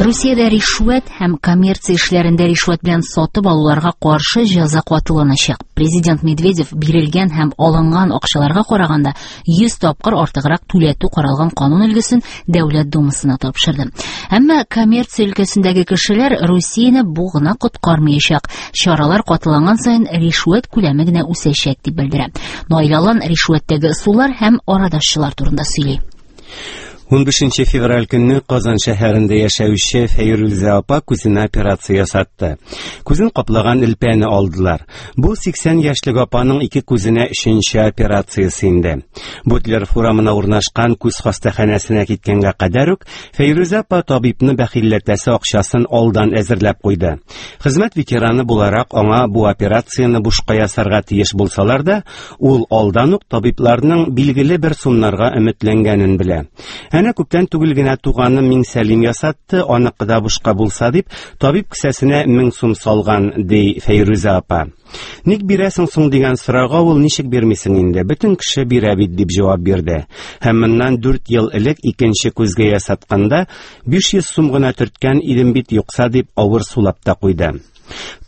Русиядә ришвәт һәм коммерция эшләрендә ришвәт белән сатып алуларга каршы җәза катыланачак. Президент Медведев бирелгән һәм алынган акчаларга караганда 100 тапкыр артыграк түләтү каралган канун өлгесен Дәүләт Думасына тапшырды. Әмма коммерция өлкәсендәге кешеләр Русияне бу гына коткармаячак. Чаралар катыланган саен ришвәт күләме генә үсәчәк дип белдерә. Наил Алан ришвәттәге ысуллар һәм арадашчылар турында сөйли. 15 февраль көнне Казан шәһәрендә яшәүче Фәйрүзә апа күзенә операция ясатты. Күзен каплаган элпәне алдылар. Бу 80 яшьлек апаның ике күзенә өченче операциясе инде. Бутлеров урамына урнашкан күз хастаханәсенә киткәнгә кадәр үк Фәйрүзә апа табибны бәхилләтәсе акчасын алдан әзерләп куйды. Хезмәт ветераны буларак аңа бу операцияне бушка ясарга тиеш булсалар да, Ул алдан ук табибларның билгеле бер сумнарга өметләнгәнен белә. Әнә күптән түгел генә туганым Миңсәлим ясатты, аныкы да бушка булса дип, табиб кесәсенә 1000 сум салган, ди Фәйрүзә апа. Ник бирәсең соң дигән сорауга ул ничек бирмисең инде, бөтен кеше бирә бит дип җавап бирде. Һәм моннан 4 ел элек икенче күзгә ясатканда 500 сум гына төрткән идем бит юкса дип авыр сулап та куйды.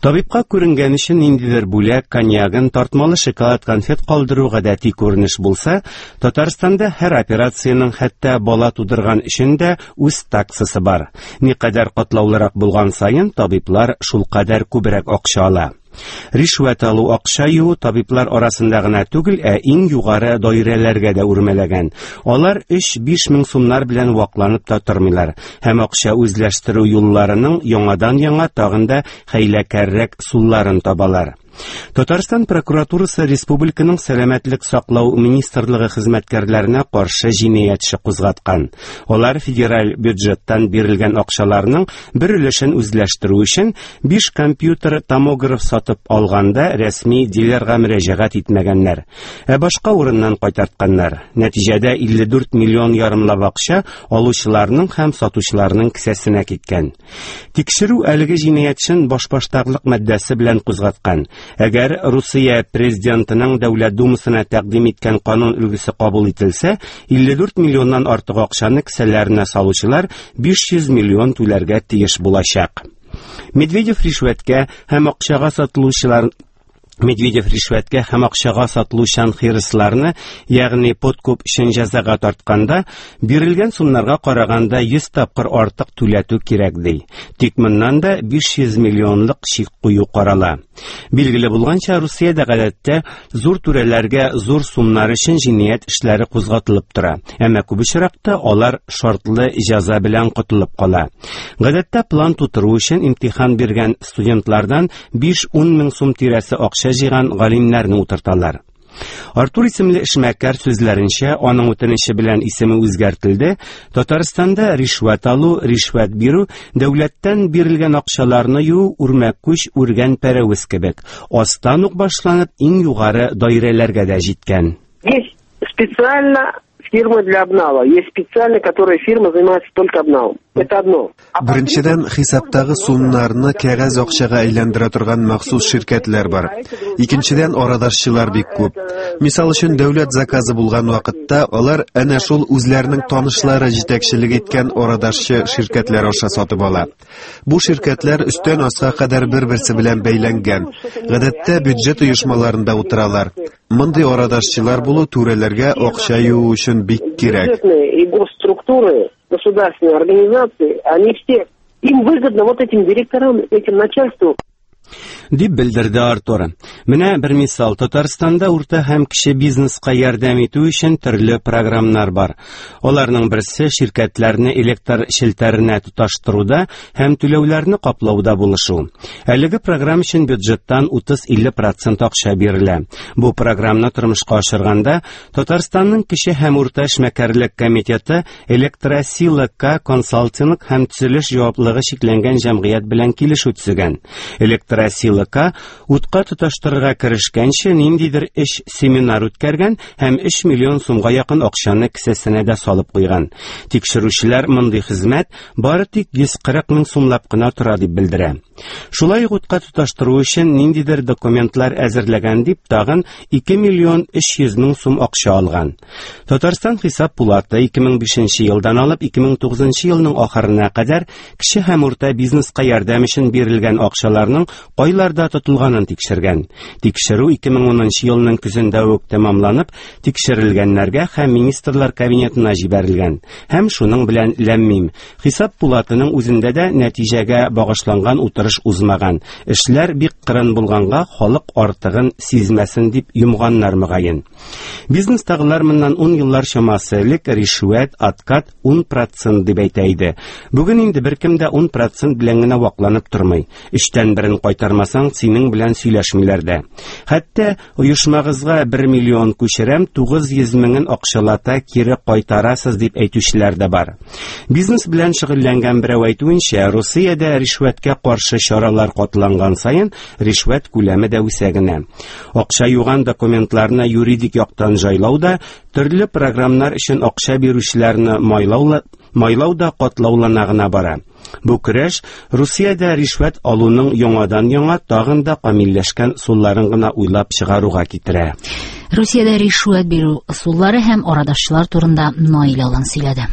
Табибка күренгән өчен ниндидер бүләк, коньягын, тартмалы шоколад конфет калдыру гадәти күренеш булса, Татарстанда һәр операциянең хәтта бала тудырган өчен дә үз таксасы бар. Никадәр катлаулырак булган саен табиблар шулкадәр күбрәк акча ала. Ришвәт алу, акча юу табиблар арасында гына түгел, ә иң югары даирәләргә дә үрмәләгән. Алар 3-5 мең сумнар белән вакланып та тормыйлар һәм акча үзләштерү юлларының яңадан-яңа тагын да хәйләкәррәк сулларын табалар. Татарстан прокуратурасы республиканың сәламәтлек саклау министрлыгы хезмәткәрләренә каршы җинаять эше кузгаткан. Алар федераль бюджеттан бирелгән акчаларның бер өлешен үзләштерү өчен 5 компьютер томограф сатып алганда рәсми дилерга мөрәҗәгать итмәгәннәр. Ә башка урыннан кайтартканнар. Нәтиҗәдә 54 миллион ярымлап акча алучыларның һәм сатучыларның кесәсенә киткән. Тикшерү әлеге җинаятьчен башбаштаклык маддәсе белән кузгаткан. Әгәр Русия президентының Дәүләт Думасына тәкъдим иткән канун өлгесе кабул ителсә, 54 миллионнан артык акчаны кесәләренә салучылар 500 миллион түләргә тиеш булачак. Медведев ришвәткә һәм акчага сатылучылар Медведев ришвәткә һәм акчага сатылучан хирысларны, ягъни подкуп өчен җәзага тартканда, бирелгән сумнарга караганда 100 тапкыр артык түләтү кирәк ди. Тик моннан да 500 миллионлык чик кую карала. Билгеле булганча, Русиядә гадәттә зур түрәләргә зур сумнар өчен җинаять эшләре кузгатылып тора. Әмма күп очракта алар шартлы җәза белән котылып кала. Гадәттә план тутыру өчен имтихан биргән студентлардан 5-10 мең сум тирәсе акча җыйган галимнәрне утырталар. Артур исемле эшмәкәр сүзләренчә, аның үтенече белән исеме үзгәртелде. Татарстанда ришвәт алу, ришвәт бирү, дәүләттән бирелгән акчаларны юу үрмәкүч үргән пәрәвез кебек, астан ук башланып, иң югары даирәләргә дә җиткән. Есть специально фирмы для обнала. Есть специально, которая фирма занимается только обналом. Это одно. Беренчедән, хисаптагы сумнарны кәгазь акчага әйләндерә торган махсус ширкәтләр бар. Икенчедән, арадашчылар бик күп. Мисал өчен, дәүләт заказы булган вакытта алар әнә шул үзләренең танышлары җитәкчелек иткән арадашчы ширкәтләр аша сатып ала. Бу ширкәтләр өстән аска кадәр бер-берсе белән бәйләнгән. Гадәттә бюджет оешмаларында утыралар. Мондый арадашчылар булу түрәләргә акча юу өчен бик кирәк. И госструктуры, государственные организации, они все, им выгодно вот этим директорам, этим начальству. Дип белдерде Артур. Менә бер мисал. Татарстанда урта һәм кече бизнеска ярдәм итү өчен төрле програмнар бар. Аларның берсе ширкәтләрне электр челтәренә тоташтыруда һәм түләүләрне каплауда булышу. Әлеге программа өчен бюджеттан 30-50 процент акча бирелә. Бу программаны тормышка ашырганда Татарстанның кече һәм урта эшмәкәрлек комитеты Электросила К консалтинг һәм төзелеш җаваплылыгы чикләнгән җәмгыять белән килешү төзегән. Электросила Сила К утка тоташтырырга керешкәнче ниндидер эш семинар үткәргән һәм 3 миллион сумга якын акчаны кесәсенә дә салып куйган. Тикшерүчеләр мондый хезмәт бары тик 140 мең сумлап кына тора дип белдерә. Шулай ук утка тоташтыру өчен ниндидер документлар әзерләгән дип тагын 2 миллион 300 мең сум акча алган. Татарстан хисап пулаты 2005 елдан алып 2009 елның ахырына кадәр кече һәм урта бизнеска ярдәм өчен бирелгән акчаларның кайларда тотылганын тикшергән. Тикшерү 2010 елның көзендә үк тәмамланып, тикшерелгәннәргә һәм министрлар кабинетына җибәрелгән. Һәм шуның белән ләммим. Хисап пулатының үзендә дә нәтиҗәгә багышланган утырыш узмаган. Эшләр бик кырын булганга халык артыгын сизмәсен дип йомганнар мөгаен. Бизнестагылар моннан 10 еллар чамасы элек ришвәт, откат 10% дип әйтә иде. Бүген инде беркем дә 10% белән генә вакланып тормый. Өчтән берен кайтармасаң, синең белән сөйләшмиләр дә. Хәтта оешмагызга 1 миллион күчерәм, 900 меңен акчалата кире кайтарасыз дип әйтүчеләр дә бар. Бизнес белән шөгыльләнгән берәү әйтүенчә, Русиядә ришвәткә каршы чаралар катланган саен ришвәт күләме дә үсә генә. Акча юган документларны юридик яктан җайлау да, төрле програмнар өчен акча бирүчеләрне майлау, майлау да катлаулана гына бара. Бу көрәш Русиядә ришвәт алуның яңадан-яңа тагын да камилләшкән ысулларын гына уйлап чыгаруга китерә. Русиядә ришвәт бирү ысуллары һәм арадашчылар турында Наил Алан сөйләде.